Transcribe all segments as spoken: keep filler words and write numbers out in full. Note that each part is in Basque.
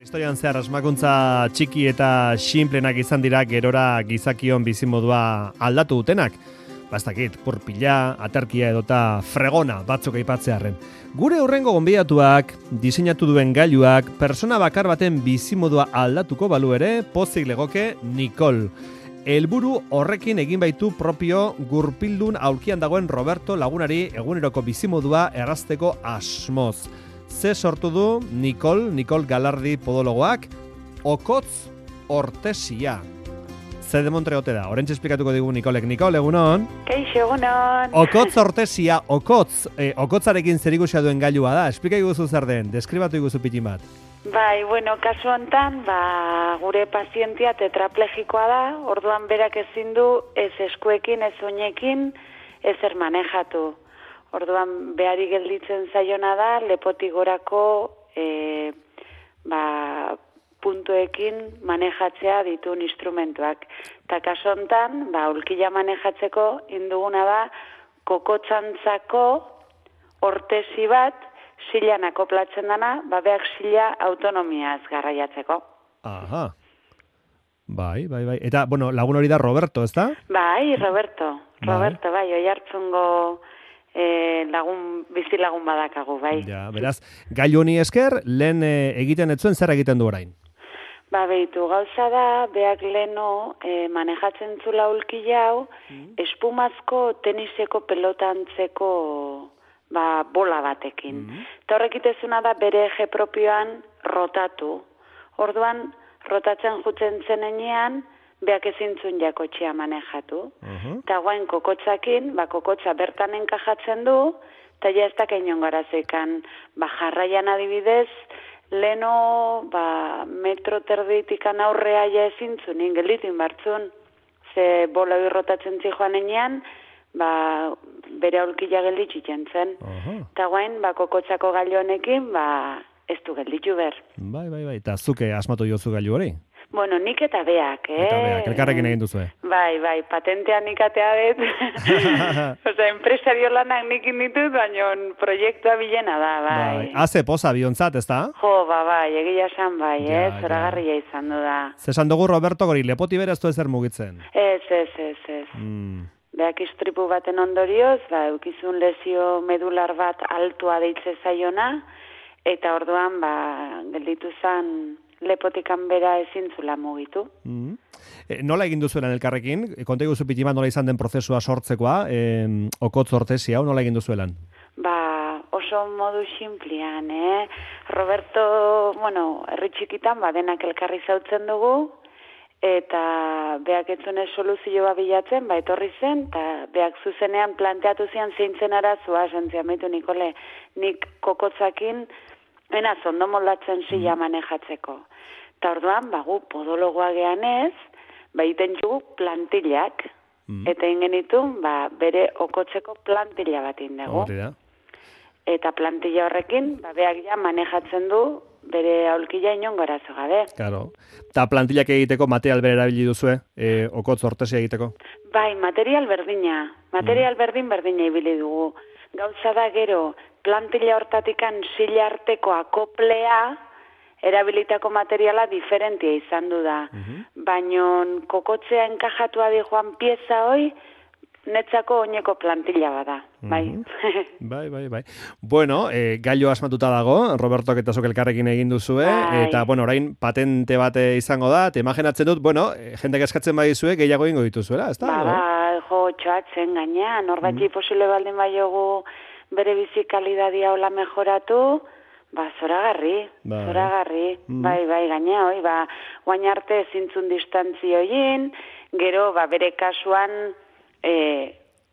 Historian zehar asmakuntza txiki eta xinplenak izan dira gerora gizakion bizimodua aldatu dutenak. Bastakit, purpila, aterkia edota fregona batzuk aipatzearren. Gure hurrengo gonbidatuak, diseinatu duen gailuak, persona bakar baten bizimodua aldatuko balu ere, pozik legoke Nicole. Helburu horrekin egin baitu propio gurpildun aulkian dagoen Roberto lagunari eguneroko bizimodua errazteko asmoz. Ze sortu du Nicole, Nicole Galardi podologoak, okotz ortesia. Ze demontre ote da, orentxe esplikatuko digu Nicolek. Nicole, egunon? Keixo, egunon. Okotz ortesia, okotz, eh, okotzarekin zer ikusia duen gailua da. Esplika iguzu zer den, deskribatu iguzu pitin bat. Bai, bueno, kasu hontan, ba, gure pazientia tetraplegikoa da, orduan berak ezin du ez eskuekin, ez oinekin, ez manejatu. Orduan behari gelditzen zaiona da, lepotik gorako e, ba, puntuekin manejatzea dituen instrumentuak. Ta kasu hontan, ba, ulkila manejatzeko induguna da, kokotzantzako ortesi bat, silan akoplatzen dana, ba, beak sila autonomiaz garraiatzeko. Aha. Bai, bai, bai. Eta, bueno, lagun hori da Roberto, ez da? Bai, Roberto. Roberto, bai, oi hartzungo e, lagun, bizi lagun badakagu, bai. Ja, beraz, gailu honi esker, lehen e, egiten etzuen zer egiten du orain? Ba, behitu, gauza da, beak leno e, manejatzen zula ulki jau, mm. espumazko teniseko pelotantzeko ba, bola batekin. Mm. Eta horrekitezuna da bere eje propioan rotatu. Orduan, rotatzen jutzen zenean, beak ezintzun jakotxea manejatu. Uh-huh. Eta guain kokotzakin, ba, kokotza bertan enkajatzen du, eta ja ez da keinon garazekan, ba, jarraian adibidez, leno, ba, metro terditikan aurrea ja ezintzun, ingelitin bartzun, ze bola rotatzen zijoan enean, ba, bere aulkila gelditxitzen zen. Uh-huh. Eta guain, ba, kokotzako gailu honekin, ba, ez du gelditxu ber. Bai, bai, bai. Eta zuke asmatu jozu gailu hori? Bueno, nik eta beak, eh? Eta beak, elkarrekin egin duzue. Bai, bai, patentea nik atea dut. Osa, empresario lanak nik inditut, baina proiektua bilena da, bai. Bai, haze poza biontzat, ez da? Jo, ba, bai, egia esan bai, ja, eh? Zoragarria ja. Izan du da. Zesan dugu Roberto gori, lepoti beraz du ezer mugitzen? Ez, ez, ez, ez. Mm. Beak istripu baten ondorioz, ba, eukizun lesio medular bat altua deitze zaiona, eta orduan, ba, gelditu zan lepotikan bera ezintzula mugitu. Mm-hmm. E, nola egin duzuelan elkarrekin? Konta iguzu pitiman nola izan den prozesua sortzekoa, e, okotz ortesi hau, nola egin duzuelan? Ba, oso modu xinplian, eh? Roberto, bueno, herri txikitan, ba, denak elkarri zautzen dugu, eta beak etzunez soluzioa bilatzen, ba, etorri zen, eta beak zuzenean planteatu zian zeintzen arazua, sentzian behitu, Nikole, nik kokotzakin, ena zondo moldatzen zila manejatzeko. Eta orduan, bagu, podologoa gehan ez, ba, iten jugu plantillak, mm. eta ingenitu, ba, bere okotzeko plantilla bat indegu. Eta plantilla horrekin, ba, beak ja manejatzen du, bere aulkila inon gorazo gabe. Claro. Eta plantillak egiteko material bere erabili duzue, e, okotz ortesia egiteko? Bai, material berdina. Material mm. berdin berdina ibili dugu. Gauza da gero, plantilla hortatikan sila arteko akoplea, erabilitako materiala diferentia izan du da. Uh-huh. Baina kokotzea enkajatua di joan pieza hoi, netzako oineko plantilla bada. Bai. Uh-huh. bai, bai, bai. Bueno, eh, gailu asmatuta dago, Roberto eta zuk elkarrekin egin duzue, bai. Eta, bueno, orain patente bat izango da, eta imaginatzen dut, bueno, jendek eskatzen badizue, gehiago ingo dituzuela, ez da? Ba, ba, jo, txoatzen gaina, norbatxi uh-huh. posible baldin baiogu bere bizi kalidadia hola mejoratu, ba, zoragarri, bai. zoragarri, mm. bai, bai, gaina, oi, ba, guain arte zintzun distantzioin, gero, ba, bere kasuan, e,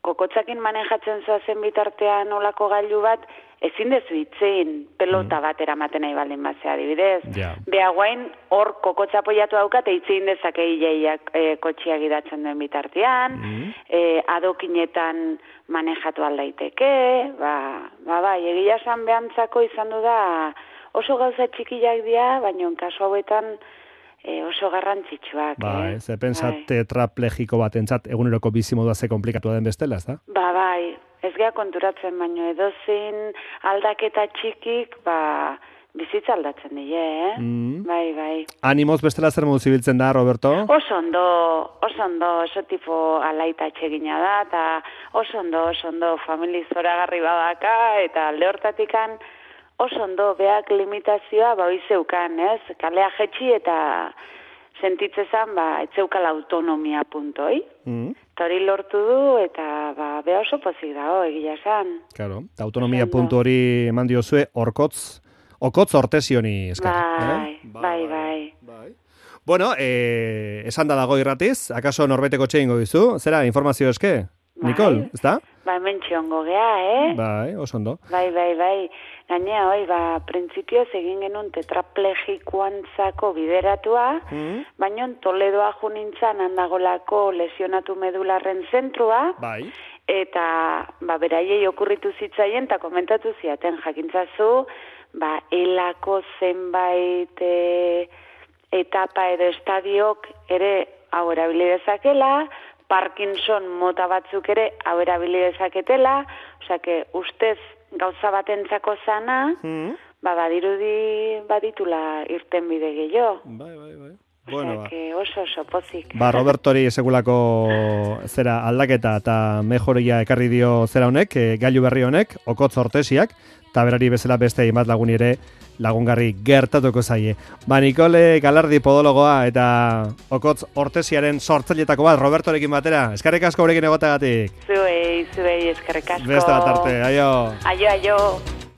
kokotzakin manejatzen zoazen bitartean olako gailu bat, ezin dezu itzein pelota mm. bat eramaten nahi baldin bazea adibidez. Yeah. Beha guain, hor kokotza apoiatu daukat, eitzein dezake hilaiak e, kotxia gidatzen duen bitartean, mm. e, adokinetan manejatu aldaiteke, ba, ba, ba, egia esan behantzako izan du da oso gauza txikiak dira, baina kasu hauetan e, oso garrantzitsuak. Bai, eh? ze pensat tetraplegiko bat entzat eguneroko bizimodua ze komplikatua den bestela, ez da? Ba, bai, ez gea konturatzen, baino edozein aldaketa txikik, ba, bizitza aldatzen die, eh? Mm. Bai, bai. Animoz bestela zer modu zibiltzen da, Roberto? Oso ondo, oso ondo, oso tipo alaita txegina da, eta oso ondo, oso ondo, famili zoragarri badaka, eta alde hortatikan oso ondo, beak limitazioa, ba, zeukan, ez? Kalea jetxi eta sentitzezan, ba, etzeukala autonomia puntoi. Mm. Hori lortu du, eta ba, beha oso pozik dago, egia esan. Claro, autonomia puntu hori eman diozue, orkotz, okotz ortesioni eskar. Bai, eh? bai, bai, bai. Bueno, eh, esan da dago irratiz, akaso norbeteko txeingo dizu? Zera, informazio eske? Bai. Nikol, ez da? Bai, mentxiongo gea, eh? Bai, oso ondo. Bai, bai, bai. Gainea, oi, ba, printzipioz egin genuen tetraplegikoantzako bideratua, mm. baina Toledoa junintzan handagolako lesionatu medularren zentrua, bai. Eta, ba, beraiei okurritu zitzaien, eta komentatu ziaten jakintzazu, ba, elako zenbait e, etapa edo estadiok ere hau erabili dezakela, Parkinson mota batzuk ere hau erabili dezaketela, osea, que ustez gauza batentzako zana, mm. ba, badirudi baditula irten bide gehiago. Bai, bai, bai. Bueno, ba. Oso oso pozik. Ba, Robertori segulako zera aldaketa eta mejoria ekarri dio zera honek, e, gailu berri honek, okotz ortesiak, eta berari bezala beste hainbat lagun ere lagungarri gertatuko zaie. Ba, Nikole Galardi podologoa eta okotz ortesiaren sortzailetako bat, Robertorekin batera. Eskerrik asko gurekin egotagatik. Zuei, zuei, eskerrik asko. Beste bat arte, aio. Aio, aio.